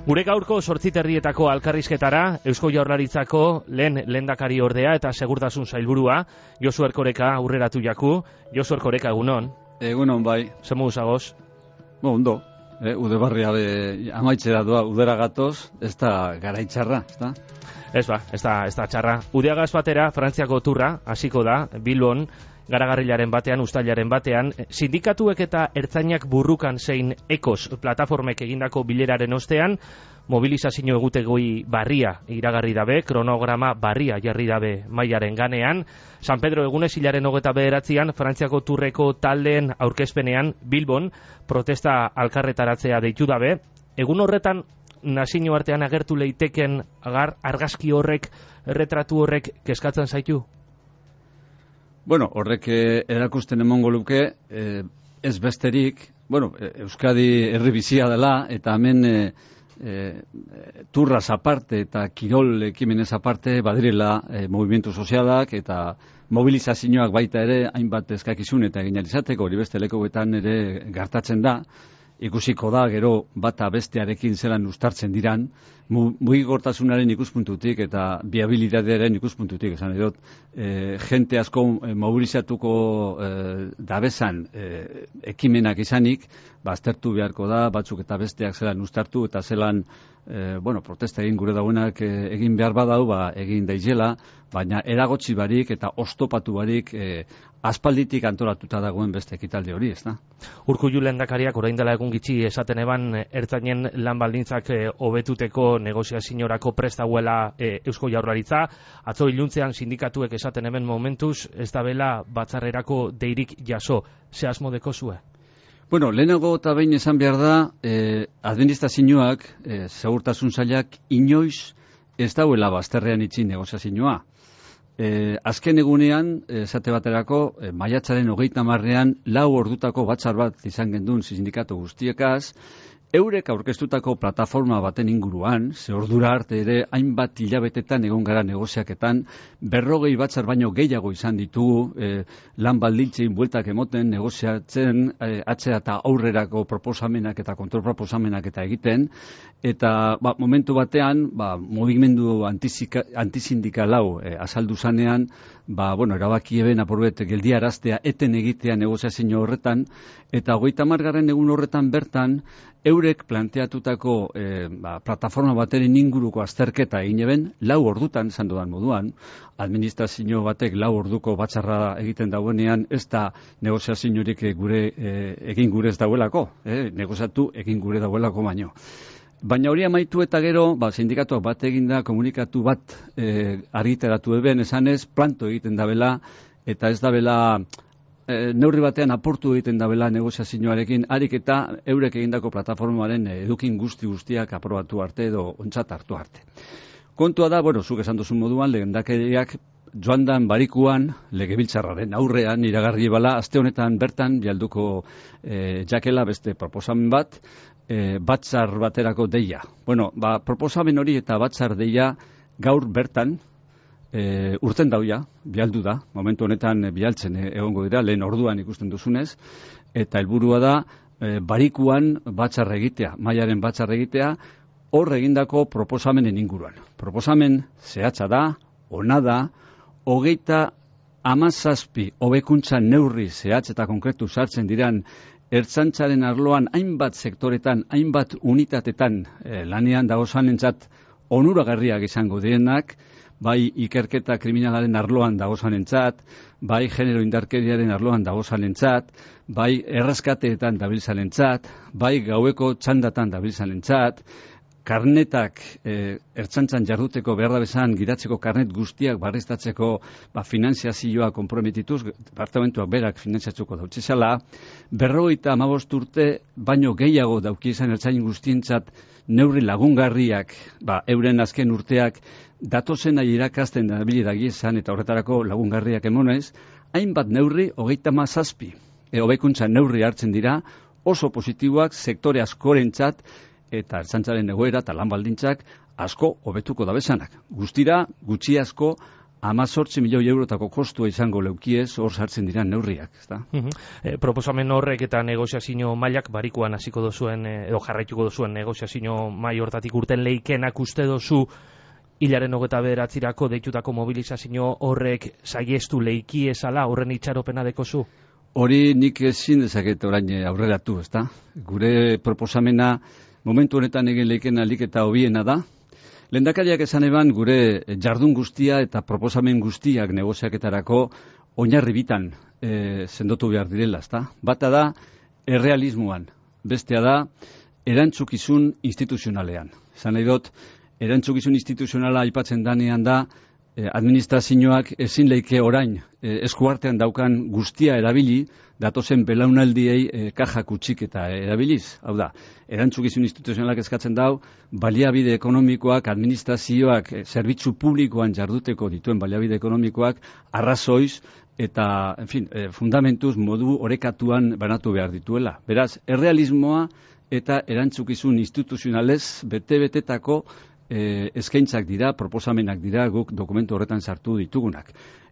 Gure gaurko 8 herrietako alkarrizketara Eusko Jaurlaritzako lehendakari ordea eta segurtasun sailburua Josu Erkoreka aurreratu jaku. Josu Erkoreka, egunon. Egunon, bai. Zemu zagoz? Ondo. Ude barria amaitzera doa, udera gatoz, ez da garaitzarra, ez da? Ez da txarra. Udeagaz batera, Frantziako turra, hasiko da, Bilbon, garagarrilaren batean, ustailaren batean, sindikatuek eta ertzainak burrukan zein ekos plataformek egindako bileraren ostean, mobilizazio egutegoi barria iragarri dabe, kronograma barria jarri dabe mailaren ganean. San Pedro egunez hilaren 29an, Frantziako turreko taldeen aurkezpenean Bilbon protesta alkarretaratzea deitu dabe. Egun horretan, nazio artean agertu leiteken argazki horrek, erretratu horrek kezkatzen zaitu? Bueno, horrek erakusten emongo luke, ez besterik, Euskadi herri bizia dela, eta hemen turraz aparte eta kirol ekimenez aparte badirela movimentu sozialak eta mobilizazioak baita ere hainbat eskakizun eta egin izateko, hori beste lekuetan ere gertatzen da. Ikusiko da, gero bata bestearekin zelan uztartzen diran, mugikortasunaren ikuspuntutik eta viabilitatearen ikuspuntutik, esan edot, jente asko mobilizatuko dabezan ekimenak izanik, aztertu beharko da, batzuk eta besteak zelan uztartu eta zelan protesta egin gure dauenak egin behar badau, egin daizela, baina eragotzi barik eta oztopatu barik aspalditik antolatuta dagoen beste ekitaldi hori, ez da? Urkullu lehendakariak orain dela egun gitxi esaten eban ertzainen lan baldintzak hobetuteko negoziaziorako prest dagoela Eusko Jaurlaritza. Atzo iluntzean sindikatuek esaten hemen momentuz ez da bela batzarrerako deirik jaso. Ze asmo dekozue? Lehenago eta behin esan behar da, administrazioak, segurtasun sailak, inoiz ez dauela bazterrean itxi negoziazioa. Azken egunean, esate baterako, maiatzaren 30ean 4 ordutako batzar bat izan gendun sindikatu guztiekaz, eurek aurkeztutako plataforma baten inguruan, ze ordura arte ere hainbat hilabetetan egon gara negoziaketan, 40 batzar baino gehiago izan ditugu lan baldintzein bueltak emoten, negoziatzen, atzera eta aurrerako proposamenak eta kontrol proposamenak eta egiten, eta momentu batean, mugimendu antisindikal hau azaldu zanean, erabaki eben apurbet geldiaraztea eten egitea negoziazio horretan, eta 30. egun horretan bertan, eurek planteatutako plataforma bateren inguruko azterketa egin eben, 4 ordutan, esan dudan moduan, administrazio batek 4 orduko batzarra egiten dauenean, ez da negoziaziorik egin gure ez dauelako, negoziatu egin gure dauelako baino. Baina hori amaitu eta gero, sindikatuak bat eginda, komunikatu bat argitaratu eben, esanez, planto egiten dabela, eta ez dabela neurri batean aportu egiten dabela negoziazioarekin, harik eta eurek egindako plataformaren edukin guztiak aprobatu arte edo ontzat hartu arte. Kontua da, zuk esan duzun moduan, lehendakariak joandan barikuan, legebiltzarraren aurrean, iragarri bala, aste honetan bertan, bialduko jakela beste proposamen bat, batzar baterako deia. Proposamen hori eta batzar deia gaur bertan, urten dauia, bialdu da, momentu honetan bialtzen egongo dira, lehen orduan ikusten duzunez, eta helburua da barikuan batzar egitea, mailaren batzar egitea, hor egindako proposamenen inguruan. Proposamen zehatza da, ona da, 37 hobekuntza neurri zehatz eta konkretu sartzen diran ertzaintzaren arloan hainbat sektoretan, hainbat unitatetan lanean dagozanentzat onuragarriak izango direnak, bai ikerketa kriminalaren arloan dagozanentzat, bai genero indarkeriaren arloan dagozanentzat, bai erreskateetan dabiltzanentzat, bai gaueko txandatan dabiltzanentzat, karnetak ertzaintzan jarduteko behar da bezan giratzeko karnet guztiak barriztatzeko finanziazioa komprometituz, departamentuak berak finanziatzuko dautzezala, 55 urte baino gehiago dauki izan ertzain guztientzat neurri lagungarriak, euren azken urteak datozena irakasten dabili dagiezan eta horretarako lagungarriak emonez, hainbat neurri 37 hobekuntza neurri hartzen dira, oso positiboak sektore askorentzat eta ertzaintzaren egoera eta lan baldintzak asko hobetuko dabezanak. Guztira, gutxi asko, 18 milioi eurotako kostua izango leukiez, hor sartzen dira neurriak, ezta? Proposamen horrek eta negoziazio mailak barikuan hasiko dozuen, edo jarraituko dozuen negoziazio mail hortatik urten leikenak uste dozu hilaren 29 deitutako mobilizazio horrek saiestu leiki ezala horren itxaropena dekozu? Hori nik ezin dezaket orain aurreratu, ezta? Gure proposamena momentu honetan egin leiken alik eta hobiena da. Lehendakariak esan eban gure jardun guztia eta proposamen guztiak negoziaketarako oinarri bitan sendotu behar direla, ezta? Bata da errealismoan, bestea da erantzukizun instituzionalean. Esan nahi dut, erantzukizun instituzionala aipatzen danean da administrazioak ezin leike orain eskuartean daukan guztia erabili, datozen belaunaldiei kajak utxik eta erabiliz. Hau da, erantzukizun instituzionalak eskatzen dau, baliabide ekonomikoak, administrazioak, zerbitzu publikoan jarduteko dituen baliabide ekonomikoak, arrazoiz eta, fundamentuz modu orekatuan banatu behar dituela. Beraz, errealismoa eta erantzukizun instituzionalez bete-betetako eskaintzak dira, proposamenak dira guk dokumentu horretan sartu ditugunak.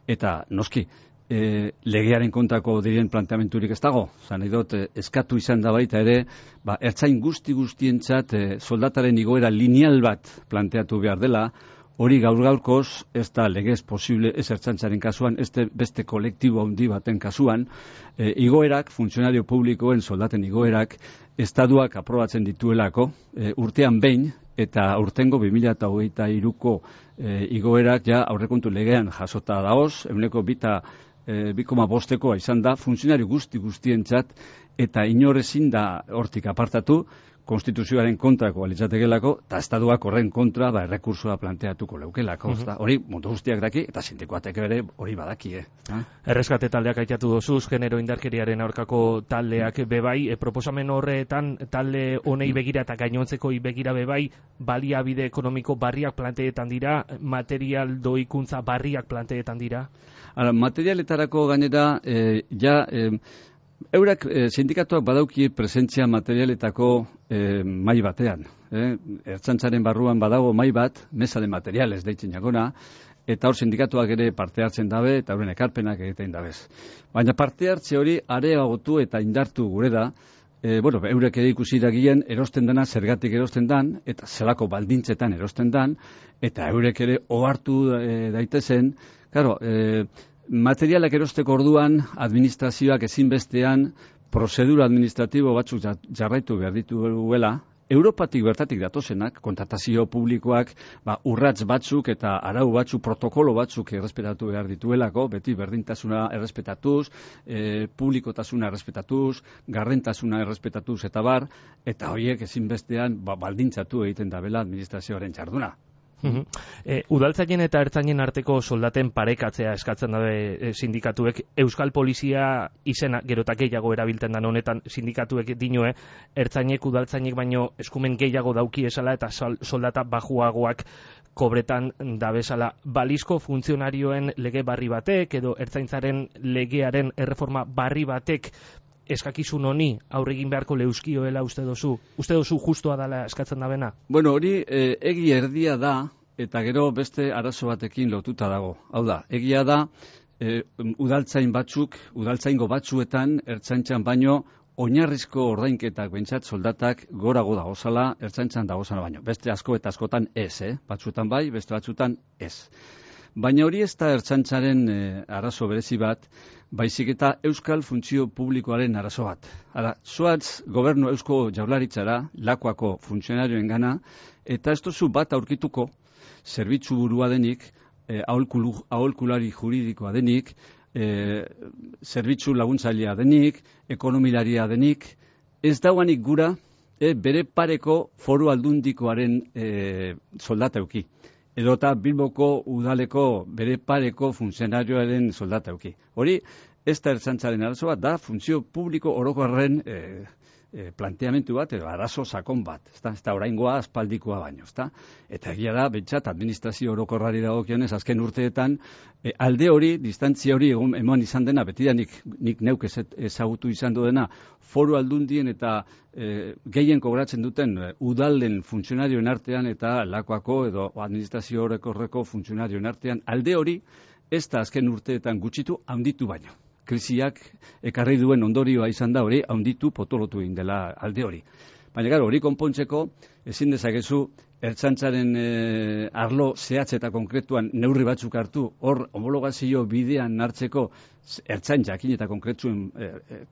Eta, noski, legearen kontrako diren planteamenturik ez dago. Zan edot, eskatu izan da baita ere, ertzain guztientzat soldataren igoera lineal bat planteatu behar dela, hori gaur-gaurkoz ez da legez posible ez ertzaintzaren kasuan, ez beste kolektibo handi baten kasuan, igoerak, funtzionario publikoen soldaten igoerak, estatuak aprobatzen dituelako, urtean behin, eta urtengo 2023ko igoerak ja aurrekontu legean jasota dagoz, 2,5 izan da, funtzionario guztientzat, eta inor ezin da hortik apartatu, konstituzioaren kontrako alitzatekelako, eta estatuak horren kontra errekursua planteatuko leukelako. Hori mundu guztiak daki, eta sindikoatek ere hori badakie. Erreskate taldeak aitatu dozuz, genero indarkeriaren aurkako taldeak bebai, proposamen horretan talde honei begira eta gainontzeko begira bebai, baliabide ekonomiko barriak planteetan dira, material doikuntza barriak planteetan dira? Materialetarako gainera, eurak sindikatuak badauki presentzia materialetako mai batean. Ertzaintzaren barruan badago mai bat, mesa de materiales deitzen jagona, eta hor sindikatuak ere parte hartzen dabe, eta horren ekarpenak egiten dabez. Baina parte hartze hori areagotu eta indartu gure da, eurek ere ikusi dagien erosten dana zergatik erosten dan, eta zelako baldintzetan erosten dan, eta eurek ere ohartu daitezen, materialak erosteko orduan administrazioak ezinbestean prozedura administratibo batzuk jarraitu behar dituela, Europatik bertatik datozenak, kontratazio publikoak, urrats batzuk eta arau batzuk, protokolo batzuk errespetatu behar dituelako, beti berdintasuna errespetatuz, publikotasuna errespetatuz, gardentasuna errespetatuz eta bar, eta horiek ezinbestean baldintzatu egiten dabela administrazioaren jarduna. Udaltzainen eta ertzainen arteko soldaten parekatzea eskatzen dabe sindikatuek. Euskal Polizia izena gerota gehiago erabiltzen da honetan sindikatuek dinoe, ertzainek udaltzainek baino eskumen gehiago dauki esala eta soldata bajuagoak kobretan dabezala. Balizko funtzionarioen lege barri batek edo ertzaintzaren legearen erreforma barri batek eskakizun honi aurregin beharko leuskioela uste dozu? Uste dozu justoa dela eskatzen da bena? Hori egi erdia da, eta gero beste arazo batekin lotuta dago. Hau da, egia da, udaltzaingo batzuetan, ertzaintzan baino, oinarrizko ordainketak behintzat soldatak gorago dagozala, ertzaintzan dagozala baino. Beste asko eta askotan ez, batzuetan bai, beste batzuetan ez. Baina hori ez da ertzaintzaren arazo berezi bat, baizik eta euskal funtzio publikoaren arazo bat. Zoatz gobernu eusko jaurlaritzara, lakoako funtzionarioen gana, eta ez duzu bat aurkituko, zerbitzu burua denik, aholkulari juridikoa denik, zerbitzu laguntzailea denik, ekonomilaria denik, ez dauanik gura bere pareko foru aldundikoaren soldata euki. Edota Bilboko udaleko bere pareko funtzionarioaren soldata euki. Hori, ez da ertzaintzaren arazoa, da funtzio publiko orokorren planteamendu bat, edo arazo sakon bat, ezta oraingoa aspaldikoa baino, ezta? Eta egia da, bentsat, administrazio orokorrari dagokionez, azken urteetan, alde hori, distantzia hori eman izan dena, beti da nik neuk ezagutu izan dena, foru aldundien eta gehien kobratzen duten udalden funtzionarioen artean eta lakoako edo administrazio orokorreko funtzionarioen artean, alde hori, ez da azken urteetan gutxitu, handitu baino. Krisiak ekarri duen ondorioa izan da hori, handitu potolotu egin dela alde hori. Baina gara, hori konpontzeko, ezin dezakezu, ertzaintzaren arlo zehatz eta konkretuan neurri batzuk hartu, hor homologazio bidean hartzeko ertzain jakin eta konkretuen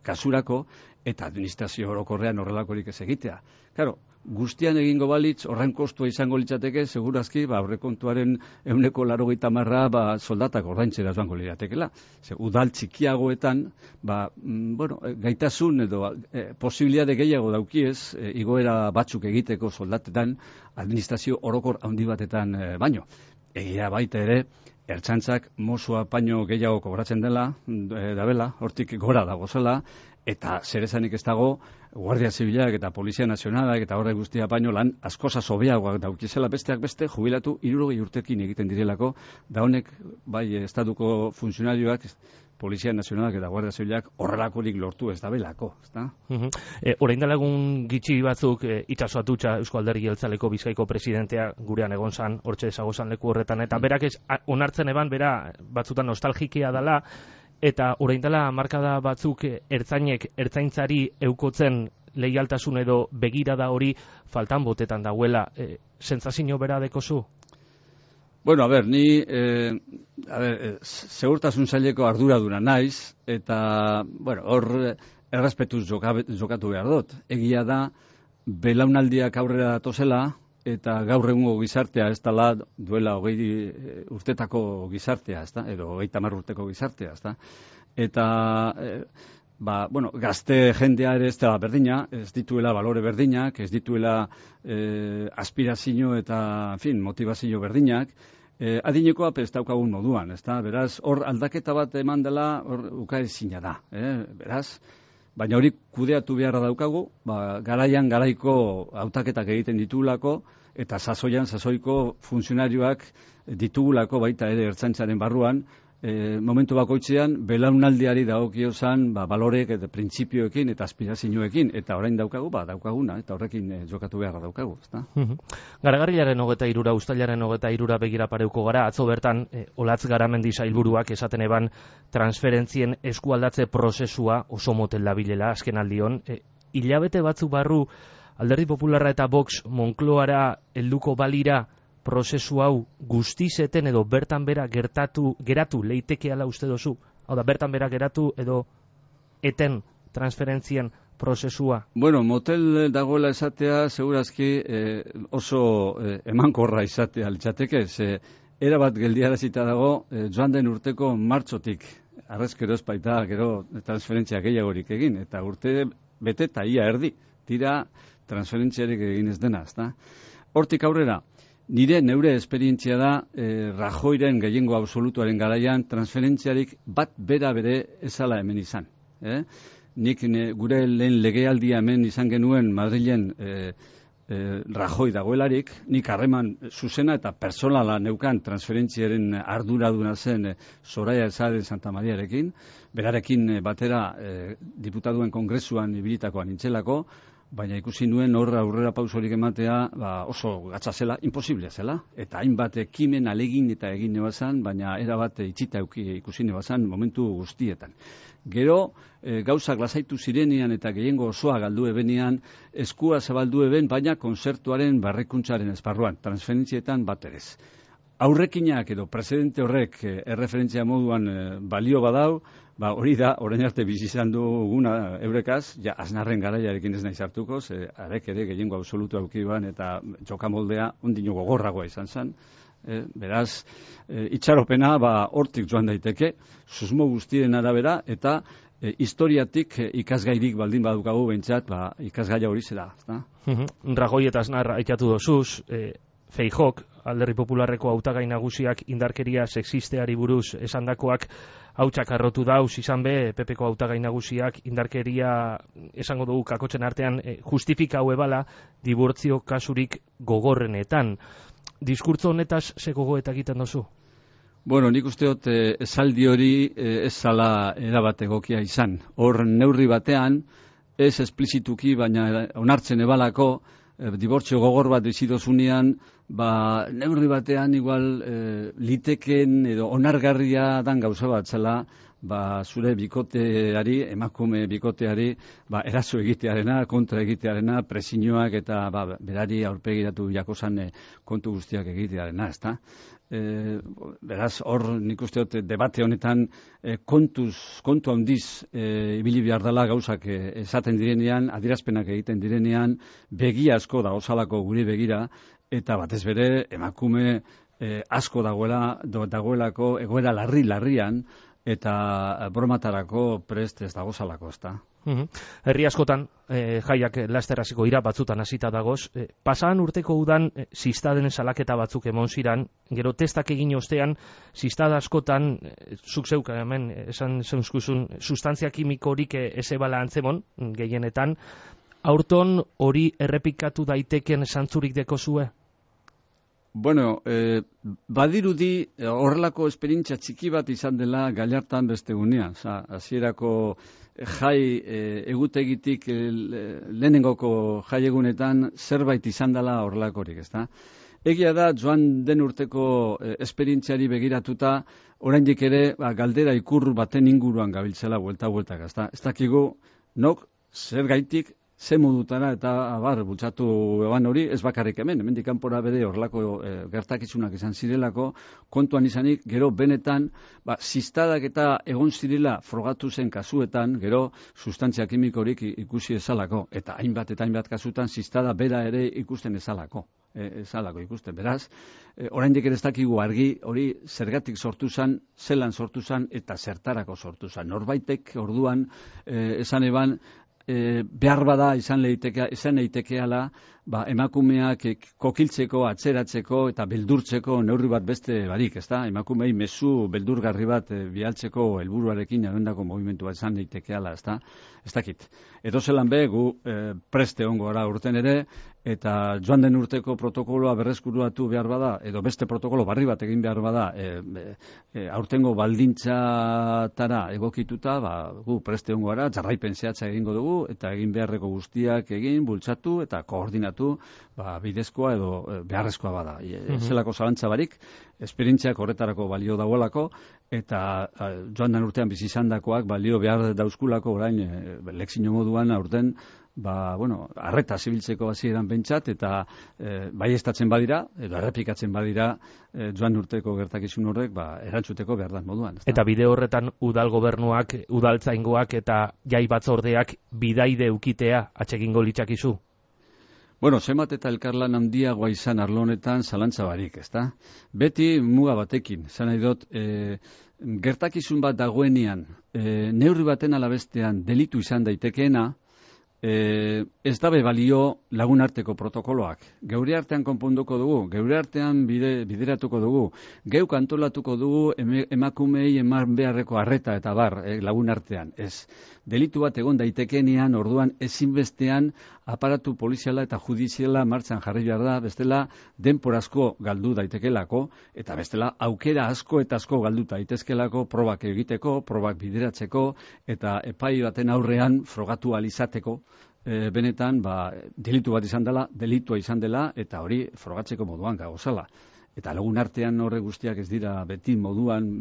kasurako, eta administrazio orokorrean horrelakorik ez egitea. Claro, guztian egingo balitz, horren kostua izango litzateke, segurazki, aurrekontuaren 80% soldatak ordaintzera joango liratekela. Udal txikiagoetan, gaitasun edo posibilitate gehiago daukiez, igoera batzuk egiteko soldatetan, administrazio orokor handi batetan baino. Egia baita ere, ertzaintzak mosua paino gehiago kobratzen dabela, hortik gora dagozela, eta zer esanik ez dago, Guardia Zibilak eta Polizia Nazionalak eta horre guztia baino lan askosa hobeagoak daukizela besteak beste, jubilatu 60 urtekin egiten direlako, da honek, bai, estatuko funtzionarioak, Polizia Nazionalak eta Guardia Zibilak horrelakorik lortu ez dabelako, ezta? Orain dela egun gitxi batzuk Itxaso Atutxa Eusko Alderdi Jeltzaleko Bizkaiko presidentea gurean egon zan, hortxe ezagozan leku horretan, eta berak onartzen eban, bera batzutan nostalgikia dela, eta orain dela markada batzuk ertzaintzari eukotzen leialtasun edo begirada hori faltan botetan dagoela. Sentsazio bera dekozu? Bueno, ni segurtasun saileko arduraduna naiz, eta, hor errespetuz jokatu behar dut. Egia da, belaunaldiak aurrera datozela, eta gaur egungo gizartea ez dela duela 20 urtetako gizartea, ezta? Edo 30 urteko gizartea, ezta? Eta, gazte jendea ere ez dela berdina, ez dituela balore berdinak, ez dituela aspirazio eta, motivazio berdinak, adinekoa ez daukagun moduan, ezta? Beraz, hor aldaketa bat eman dela, hor ukaezina da, beraz, baina hori kudeatu beharra daukagu, garaian garaiko hautaketak egiten ditugulako, eta sasoiko funtzionarioak ditugulako baita ere ertzaintzaren barruan, momentu bakoitzean belaunaldiari dagokiozan balorek eta printzipioekin eta aspirazioekin, eta orain daukaguna, eta horrekin jokatu beharra daukagu, ezta? Garagarrilaren 23, uztailaren 23 begira pareuko gara, atzo bertan Olatz Garamendi sailburuak esaten eban transferentzien eskualdatze prozesua oso motel dabilela azken aldion. Hilabete batzu barru Alderdi Popularra eta Vox Moncloara helduko balira prozesu hau guztizeten edo bertan bera geratu leitekeala uste dozu? Hau da, bertan bera geratu edo eten transferentzien prozesua? Motel dagoela esatea, segurazki oso emankorra izatea litzateke, erabat geldiarazita dago joan den urteko martxotik, arrezkero espaita gero transferentzia gehiagorik egin, eta urte bete eta ia erdi, tira transferentziarik egin ez dena, ezta? Hortik aurrera, neure esperientzia da, Rajoyren gehiengo absolutuaren garaian transferentziarik bat bera bere ezala hemen izan. Nik gure lehen legealdia hemen izan genuen Madrilen Rajoy dagoelarik, nik harreman zuzena eta personala neukan transferentziaren arduraduna zen Soraya Sáez de Santamaríarekin, berarekin batera diputatuen kongresuan ibilitakoan nintzelako, baina ikusi nuen horra aurrera pausorik ematea oso gatza zela, imposiblea zela, eta hainbat ekimen alegin eta egin nebazan, baina erabat itxita ikusi nebazan momentu guztietan. Gero, gauzak lasaitu zirenean eta gehiengo osoa galdu ebenean, eskua zabaldu eben, baina konzertuaren barrekuntzaren esparruan, transferentzietan bat erez. Aurrekinak edo presidente horrek erreferentzia moduan balio badau, hori da, orain arte bizi izan duguna eurekaz, Aznarren garaiarekin ez naiz hartuko, arek ere gehiengo absolutu aukiban eta jokamoldea ondino gogorragoa izan zen. Beraz, itxaropena hortik joan daiteke, susmo guztien arabera, eta historiatik ikasgairik baldin badukagu behintzat, ikasgaia hori zera. Rajoy eta Aznar aitatu dozuz, Feijok, Alderdi Popularreko hautagai nagusiak indarkeria sexisteari buruz esandakoak hautsak arrotu dauz, izan be, PPko hautagai nagusiak indarkeria, esango dugu kakotzen artean, justifika ebala dibortzio kasurik gogorrenetan. Diskurtso honetaz ze gogoeta egiten duzu? Bueno, nik uste dut esaldi hori ez zala erabat egokia izan. Hor neurri batean, ez esplizituki, baina onartzen ebalako, dibortzio gogor bat bizidozunean, neurri batean igual liteken edo onargarria dan gauza bat zela, zure bikoteari, emakume bikoteari, eraso egitearena, kontra egitearena, presioak eta berari aurpegiratu jakozan kontu guztiak egitearena, ezta? Beraz, hor nik uste dut debate honetan kontu handiz ibili behar dela gauzak esaten direnean, adierazpenak egiten direnean, begi asko dagoelako guri begira, eta batez bere emakume asko dagoelako egoera larrian, eta bromatarako prest ez dagozalako, ezta? Herri askotan jaiak laster hasiko dira, batzutan hasita dagoz. Pasadan urteko udan ziztaden salaketa batzuk emon ziran, gero testak egin ostean, ziztada askotan, zuk zeuka hemen, esan zeunskuzun, sustantzia kimikorik ezebala antzemon, gehienetan, aurton hori errepikatu daiteken zantzurik dekozue? Bueno, badirudi horrelako esperientzia txiki bat izan dela Gallartan beste gunean. Hasierako jai egutegitik lehenengoko jai egunetan zerbait izan dela horrelakorik, ezta? Egia da, joan den urteko esperientziari begiratuta, oraindik ere galdera ikur baten inguruan gabiltzela buelta-bueltak, ezta? Ez dakigu, nok zer gaitik, ze modutara eta bultzatu eban hori, ez bakarrik hemendik kanpora bere horrelako gertakizunak izan zirelako, kontuan izanik, gero benetan, ziztadak eta egon zirela frogatu zen kasuetan, gero sustantzia kimikorik ikusi ezalako, eta hainbat kasutan ziztada bera ere ikusten ezalako ikusten. Beraz, oraindik ere ez dakigu argi hori zergatik sortu zen, zelan sortu zen eta zertarako sortu zen. Norbaitek orduan esan eban, behar bada izan leitekeala emakumeak kokiltzeko, atzeratzeko eta beldurtzeko neurri bat beste barik, ezta? Emakumei mezu beldurgarri bat bialtzeko helburuarekin arendako movimentu bat izan leitekeala, ezta? Ez dakit. Edozelan be, gu preste ongo gara urten ere, eta joan den urteko protokoloa berreskuruatu behar bada, edo beste protokolo barri bat egin behar bada, aurtengo baldintzatara egokituta, gu preste ongo gara, jarraipen zehatza egingo dugu, eta egin beharreko guztiak egin, bultzatu eta koordinatu bidezkoa edo beharrezkoa bada. Zelako zalantza barik, esperientziak horretarako balio dagoelako, eta joan den urtean bizi izandakoak balio behar dauzkulako orain lekzio moduan aurten arreta zibiltzeko hasieran pentsat, eta baieztatzen badira, edo errepikatzen badira joan urteko gertakizun horrek, erantzuteko behar dan moduan. Eta bide horretan udal gobernuak, udaltzaingoak eta jai batzordeak bidaide ukitea atxegingo litzakizu? Bueno, zenbat eta elkarlan handiagoa izan arlo honetan zalantza barik, ezta? Beti muga batekin, zan nahi dut, gertakizun bat dagoenean, neurri baten alabestean delitu izan daitekeena, ez dabe balio lagunarteko protokoloak. Geure artean konponduko dugu, geure artean bideratuko dugu, geuk antolatuko dugu emakumei eman beharreko arreta eta lagun artean. Ez, delitu bat egon daitekenean, orduan ezinbestean aparatu poliziala eta judiziala martxan jarri behar da, bestela denporazko galdu daitekelako, eta bestela aukera asko eta asko galdu daitezkelako probak egiteko, probak bideratzeko, eta epai baten aurrean frogatu alizateko, benetan, delitu bat izan dela, delitua izan dela, eta hori frogatzeko moduan gagozala. Eta lagun artean horre guztiak ez dira beti moduan,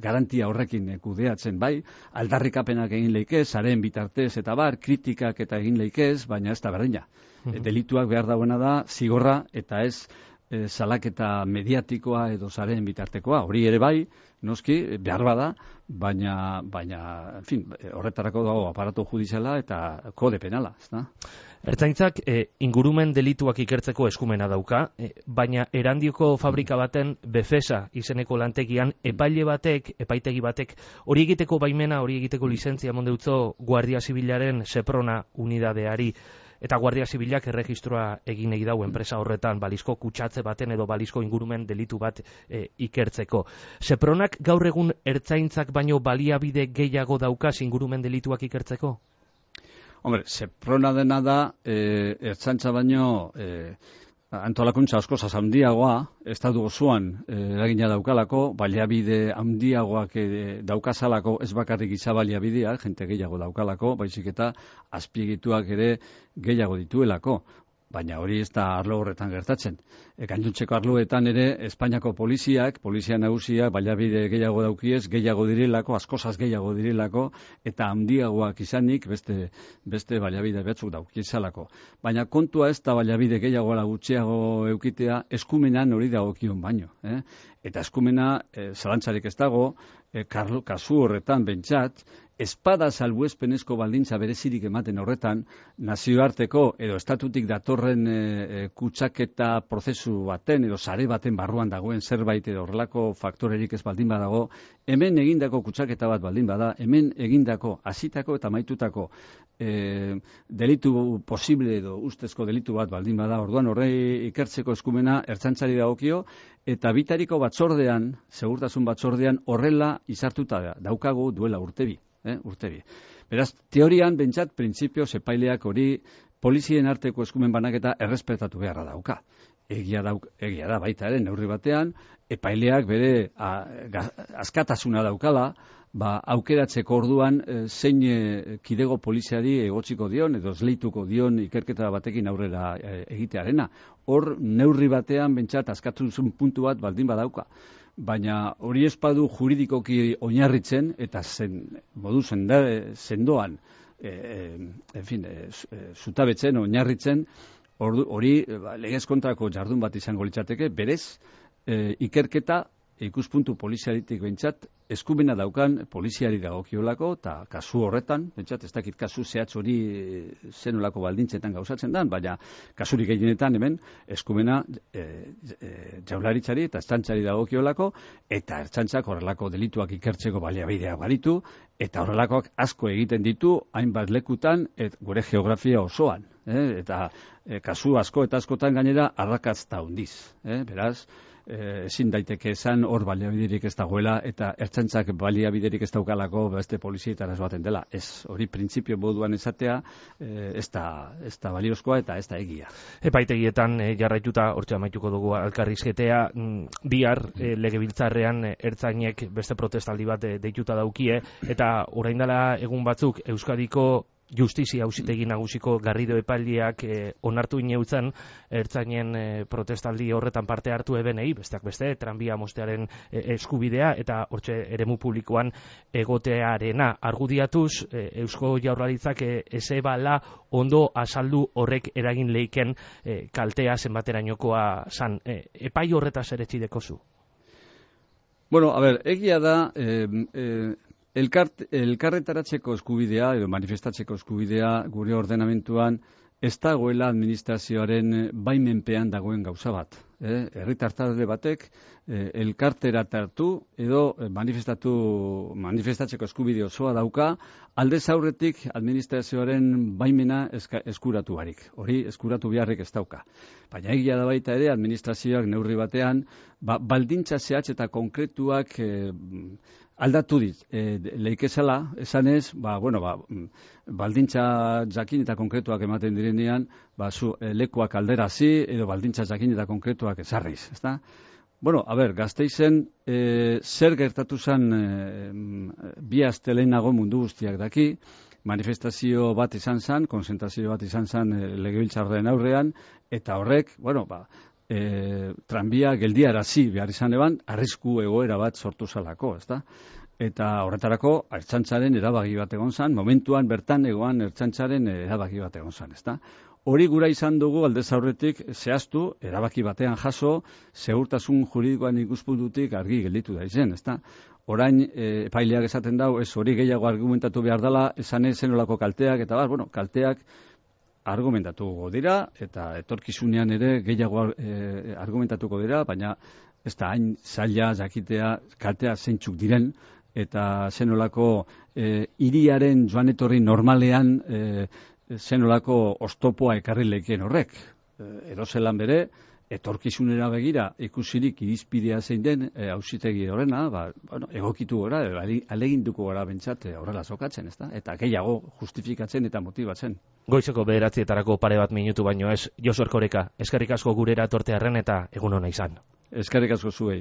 garantia horrekin kudeatzen bai, aldarrikapenak egin leikez, saren bitartez eta kritikak eta egin leikez, baina ez da berdina. Delituak behar dagoena da, zigorra eta ez salaketa mediatikoa edo saren bitartekoa, hori ere bai, noski, behar bada, baina, en fin, horretarako dago aparatu judiziala eta kode penala, ez da? Ertzaintzak ingurumen delituak ikertzeko eskumena dauka, baina Erandioko fabrika baten Befesa izeneko lantegian epaitegi batek, hori egiteko baimena, hori egiteko lizentzia eman deutso Guardia Zibilaren Seprona unidadeari. eta Guardia Zibilak erregistroa egin egi dau enpresa horretan balizko kutsatze baten edo balizko ingurumen delitu bat ikertzeko. Sepronak gaur egun ertzaintzak baino baliabide gehiago daukaz ingurumen delituak ikertzeko? Hombre, Seprona dena da ertzaintza baino antolakuntza asko handiagoa, estatu osoan eragina daukalako, baliabide handiagoak daukazalako, ez bakarrik giza baliabideak, jente gehiago daukalako, baizik eta azpiegituak ere gehiago dituelako. Baina hori ez da arlo horretan gertatzen. Gainontzeko arloetan ere Espainiako polizia nagusiak baliabide gehiago daukiez, gehiago direlako, askozaz gehiago direlako, eta handiagoak izanik beste baliabide batzuk daukizalako. Baina kontua ez da baliabide gehiago gutxiago eukitea, eskumenan hori dagokion baino. Eta eskumena zalantzarik ez dago, kasu horretan bentsat, espada salbuespenezko baldintza berezirik ematen horretan, nazioarteko edo estatutik datorren kutsaketa prozesu baten edo sare baten barruan dagoen zerbait edo horrelako faktorerik ez baldin badago, hemen egindako kutsaketa bat baldin bada, hemen egindako hasitako eta amaitutako delitu posible edo ustezko delitu bat baldin bada, orduan horrei ikertzeko eskumena ertzaintzari dagokio, eta bitariko batzordean, segurtasun batzordean, horrela izartuta daukagu duela urtebi. Beraz, teorian, bentsat, printzipioz epaileak hori polizien arteko eskumen banaketa errespetatu beharra dauka. Egia da baita ere, neurri batean, epaileak bere askatasuna daukala, aukeratzeko orduan zein kidego poliziari egotziko dion, edo esleituko dion ikerketa batekin aurrera egitearena. Hor, neurri batean, bentsat, askatuzun puntu bat baldin badauka. Baina hori espadu juridikoki oinarritzen eta modu sendoan zutabetzen oinarritzen hori legez kontrako jardun bat izango litzateke, berez ikerketa ikuspuntu poliziaritik bentsat eskumena daukan poliziari dagokiolako, eta kasu horretan, bentsat ez dakit kasu zehatz hori zenolako baldintzetan gauzatzen dan, baina kasurik gehienetan hemen eskumena jaurlaritzari eta ertzaintzari dagokiolako, eta ertzaintzak horrelako delituak ikertzeko baliabideak baditu, eta horrelakoak asko egiten ditu, hainbat lekutan, gure geografia osoan. Eta kasu asko eta askotan gainera arrakazta handiz. Beraz, ezin daiteke esan hor baliabiderik ez dagoela eta ertzaintzak baliabiderik ez daukalako beste polizietara baten dela. Ez hori printzipio moduan esatea ez da baliozkoa eta ez da egia. Epaitegietan jarraituta hortxe amaituko dugu elkarrizketea, bihar legebiltzarrean ertzainek beste protestaldi bat deituta daukie eta orain dela egun batzuk Euskadiko Justizia Auzitegi Nagusiko Garrido epaileak onartu ineutzen ertzainen protestaldi horretan parte hartu ebenei, besteak beste, tranbia mostearen eskubidea eta hortxe eremu publikoan egotearena argudiatuz, Eusko Jaurlaritzak ezebala ondo azaldu horrek eragin leiken kaltea zenbaterainokoa zan. Epai horretaz ere txidekozu? Bueno, a ver, egia da... Elkarretaratzeko eskubidea edo manifestatzeko eskubidea gure ordenamentuan ez dagoela administrazioaren baimenpean dagoen gauza bat. Herritar talde batek elkarteratartu edo manifestatzeko eskubide osoa dauka, aldez aurretik administrazioaren baimena eskuratu barik. Hori eskuratu beharrik ez dauka. Baina egia da baita ere administrazioak neurri batean baldintza zehatz eta konkretuak aldatu leikezala, esanez, baldintza jakin eta konkretuak ematen direnean, lekuak alderazi edo baldintza jakin eta konkretuak ezarriz, ezta? Bueno, Gasteizen zer gertatu zen bi aste lehenago mundu guztiak daki, manifestazio bat izan zen, konzentrazio bat izan zen legebiltzarraren aurrean, eta horrek, tranbia geldiarazi behar izan eban, arrisku egoera bat sortu zalako, ezta? Eta horretarako ertzaintzaren erabaki bat egon zen, momentuan bertan egoan ertzaintzaren erabaki bat egon zen, ezta? Hori gura izan dugu aldez aurretik zehaztu, erabaki batean jaso, segurtasun juridikoan ikuspuntutik argi gelditu da izen, ezta? Orain epaileak esaten dau, ez hori gehiago argumentatu behar dela, esan zenolako kalteak, eta kalteak argumentatuko dira, eta etorkizunean ere gehiago argumentatuko dira, baina ez da hain zaila jakitea kaltea zeintzuk diren, eta zenolako hiriaren joan etorri normalean zenolako oztopoa ekarri lekien horrek. Edozelan bere, etorkizunera begira ikusirik irizpidea zein den auzitegi horrena, egokitu gora, aleginduko gara bentsat horrela zokatzen, ezta? Eta gehiago justifikatzen eta motibatzen. Goizeko 9:00 pare bat minutu baino ez, Josu Erkoreka, eskerrik asko gurera etortearren eta egun ona izan. Eskerrik asko zuei.